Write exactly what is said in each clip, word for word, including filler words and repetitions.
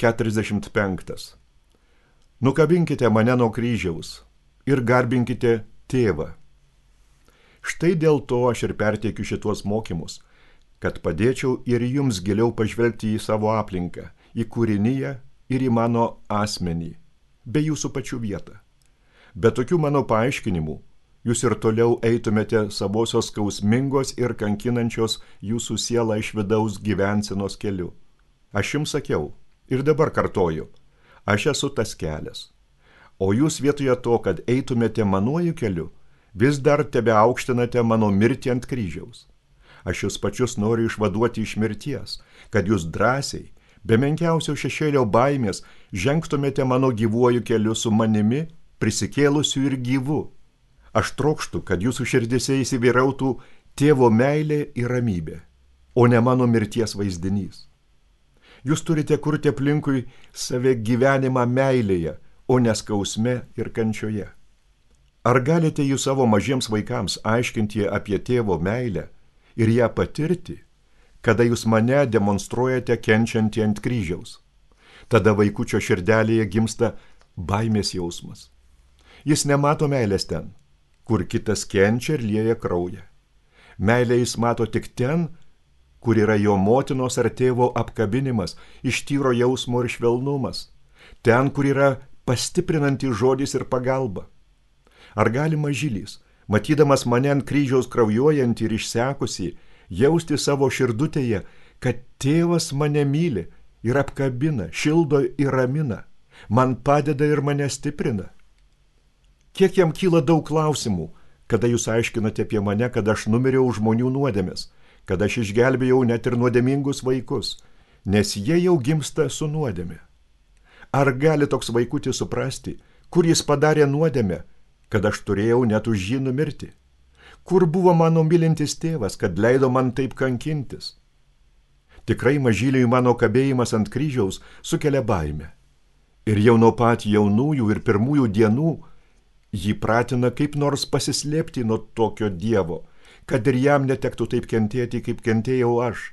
keturiasdešimt penktas. Nukabinkite mane nuo kryžiaus ir garbinkite tėvą. Štai dėl to aš ir perteikiu šituos mokymus, kad padėčiau ir jums giliau pažvelgti į savo aplinką, į kūriniją ir į mano asmenį, bei jūsų pačių vietą. Be tokių mano paaiškinimų, jūs ir toliau eitumėte savosios skausmingos ir kankinančios jūsų sielą iš vidaus gyvensenos keliu. Aš jums sakiau ir dabar kartoju, aš esu tas kelias. O jūs vietoje to, kad eitumėte manuoju keliu, vis dar tebe aukštinate mano mirtį ant kryžiaus. Aš jūs pačius noriu išvaduoti iš mirties, kad jūs drąsiai, be menkiausio šešėlio baimės, žengtumėte mano gyvuoju keliu su manimi, prisikėlusiu ir gyvu. Aš trokštu, kad jūsų širdise įsivyrautų tėvo meilė ir ramybė, o ne mano mirties vaizdinys. Jūs turite kurti aplinkui save gyvenimą meilėje, o ne skausme ir kančioje. Ar galite jūs savo mažiems vaikams aiškinti apie tėvo meilę ir ją patirti, kada jūs mane demonstruojate kenčiantį ant kryžiaus? Tada vaikučio širdelėje gimsta baimės jausmas. Jis nemato meilės ten, kur kitas kenčia ir lieja kraują. Meilę jis mato tik ten, kur yra jo motinos ar tėvo apkabinimas, iš tyro jausmo ir švelnumas, ten, kur yra pastiprinantis žodis ir pagalba. Ar gali mažylys, matydamas mane ant kryžiaus kraujuojantį ir išsekusį, jausti savo širdutėje, kad tėvas mane myli ir apkabina, šildo ir ramina, man padeda ir mane stiprina? Kiek jam kyla daug klausimų, kada jūs aiškinate apie mane, kad aš numiriau žmonių nuodėmes, kad aš išgelbėjau net ir nuodėmingus vaikus, nes jie jau gimsta su nuodėme. Ar gali toks vaikutis suprasti, kur jis padarė nuodėmę, kad aš turėjau net už jį numirti? Kur buvo mano mylintis tėvas, kad leido man taip kankintis? Tikrai mažyliui mano kabėjimas ant kryžiaus sukelia baimę. Ir jau nuo pat jaunųjų ir pirmųjų dienų jį pratina kaip nors pasislėpti nuo tokio Dievo, kad ir jam netektų taip kentėti, kaip kentėjau aš.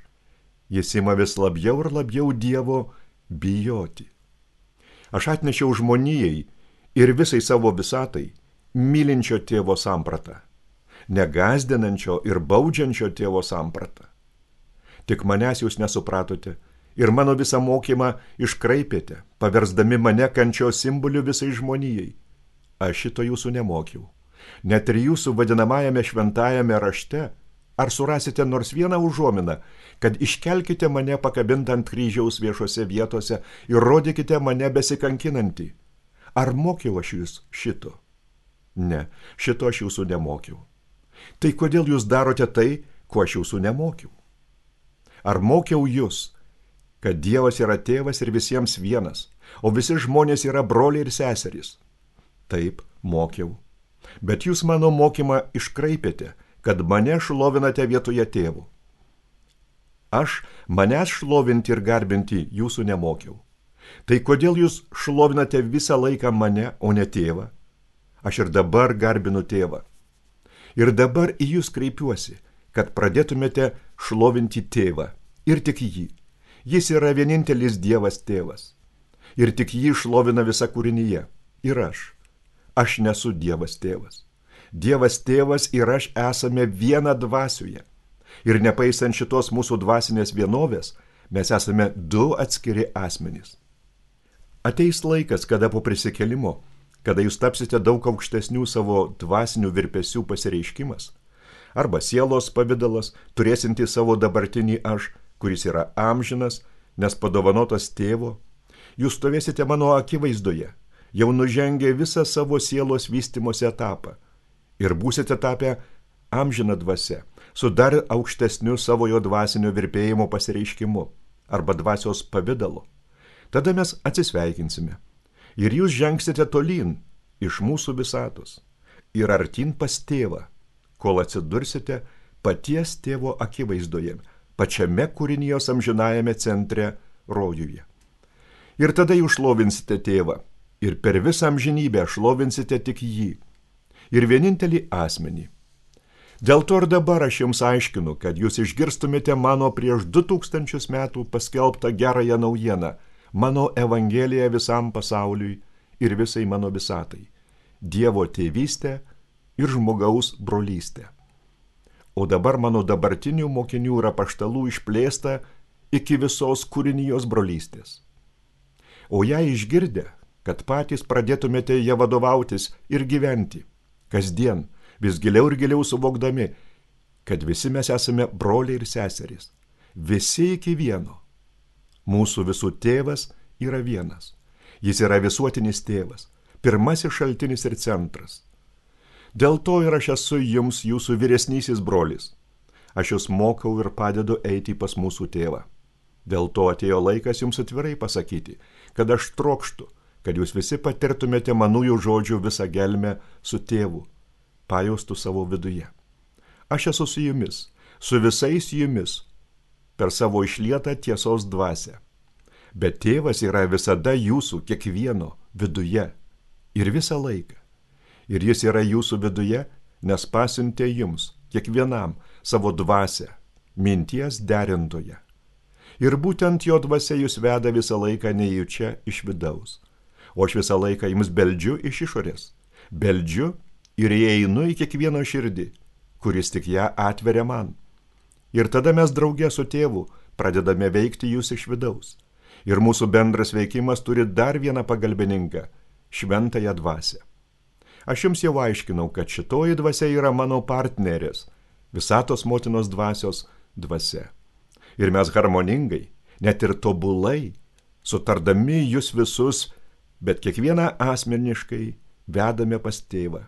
Jis ima vis labiau ir labiau Dievo bijoti. Aš atnešiau žmonijai ir visai savo visatai mylinčio tėvo sampratą, negąsdinančio ir baudžiančio tėvo sampratą. Tik manęs jūs nesupratote ir mano visą mokymą iškraipėte, paversdami mane kančios simboliu visai žmonijai. Aš šito jūsų nemokiau. Net ir jūsų vadinamajame šventajame rašte, ar surasite nors vieną užuominą, kad iškelkite mane pakabintą ant kryžiaus viešose vietose ir rodykite mane besikankinantį. Ar mokiau aš jūs šito? Ne, šito aš jūsų nemokiau. Tai kodėl jūs darote tai, ko aš jūsų nemokiau? Ar mokiau jūs, kad Dievas yra tėvas ir visiems vienas, o visi žmonės yra broliai ir seserys? Taip, mokiau. Bet jūs mano mokymą iškraipėte, kad mane šlovinate vietoje tėvų. Aš manęs šlovinti ir garbinti jūsų nemokiau. Tai kodėl jūs šlovinate visą laiką mane, o ne tėvą? Aš ir dabar garbinu tėvą. Ir dabar į jūs kreipiuosi, kad pradėtumėte šlovinti tėvą. Ir tik jį. Jis yra vienintelis Dievas tėvas. Ir tik jį šlovina visa kūrinyje. Ir aš. Aš nesu Dievas tėvas. Dievas tėvas ir aš esame viena dvasioje. Ir nepaisant šitos mūsų dvasinės vienovės, mes esame du atskiri asmenys. Ateis laikas, kada po prisikėlimo, kada jūs tapsite daug aukštesnių savo dvasinių virpesių pasireiškimas, arba sielos pavidalas, turėsinti savo dabartinį aš, kuris yra amžinas, nes padovanotas tėvo, jūs stovėsite mano akivaizdoje, jau nužengę visą savo sielos vystimosi etapą ir būsite tapę amžiną dvasia, su dar aukštesniu savojo dvasinio virpėjimo pasireiškimu arba dvasios pavidalu. Tada mes atsisveikinsime ir jūs žengsite tolyn iš mūsų visatos ir artyn pas tėvą, kol atsidursite paties tėvo akivaizdoje, pačiame kūrinijos amžinajame centre rojuje. Ir tada jūs šlovinsite tėvą ir per visą amžinybę šlovinsite tik jį ir vienintelį asmenį. Dėl to ir dabar aš jums aiškinu, kad jūs išgirstumėte mano prieš du tūkstančius metų paskelbtą gerąją naujieną, mano evangelija visam pasauliui ir visai mano visatai, Dievo tėvystę ir žmogaus brolystę. O dabar mano dabartinių mokinių ir apaštalų išplėsta iki visos kūrinijos brolystės. O ją išgirdę, kad patys pradėtumėte ją vadovautis ir gyventi, kasdien, vis giliau ir giliau suvokdami, kad visi mes esame broliai ir seserys, visi iki vieno. Mūsų visų tėvas yra vienas. Jis yra visuotinis tėvas, pirmasis šaltinis ir centras. Dėl to ir aš esu jums jūsų vyresnysis brolis. Aš jūs mokau ir padedu eiti pas mūsų tėvą. Dėl to atėjo laikas jums atvirai pasakyti, kad aš trokštu, kad jūs visi patirtumėte manųjų žodžių visą gelmę su tėvu, pajaustų savo viduje. Aš esu su jumis, su visais jumis, per savo išlietą tiesos dvasią. Bet tėvas yra visada jūsų kiekvieno viduje ir visą laiką. Ir jis yra jūsų viduje, nes pasiuntė jums, kiekvienam, savo dvasią, minties derintoje. Ir būtent jo dvasia jūs veda visą laiką nejučia iš vidaus. O aš visą laiką jums beldžiu iš išorės. Beldžiu ir įeinu į kiekvieno širdį, kuris tik ją atveria man. Ir tada mes drauge su tėvu pradedame veikti jūs iš vidaus. Ir mūsų bendras veikimas turi dar vieną pagalbininką – šventąją dvasią. Aš jums jau aiškinau, kad šitoji dvasia yra mano partnerės, visatos motinos dvasios dvasia. Ir mes harmoningai, net ir tobulai, sutardami jūs visus, bet kiekvieną asmeniškai vedame pas tėvą.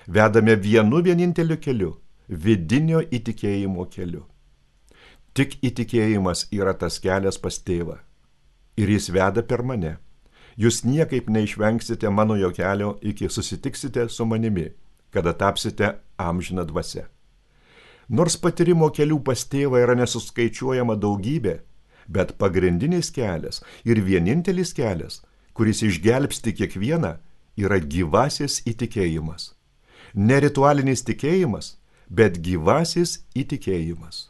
Vedame vienu vieninteliu keliu, vidinio įtikėjimo keliu. Tik įtikėjimas yra tas kelias pas tėvą. Ir jis veda per mane. Jūs niekaip neišvengsite mano jo kelio, iki susitiksite su manimi, kada tapsite amžiną dvasią. Nors patyrimo kelių pas tėvą yra nesuskaičiuojama daugybė, bet pagrindinis kelias ir vienintelis kelias, kuris išgelbsti kiekvieną, yra gyvasis įtikėjimas. Ne ritualinis tikėjimas, bet gyvasis įtikėjimas.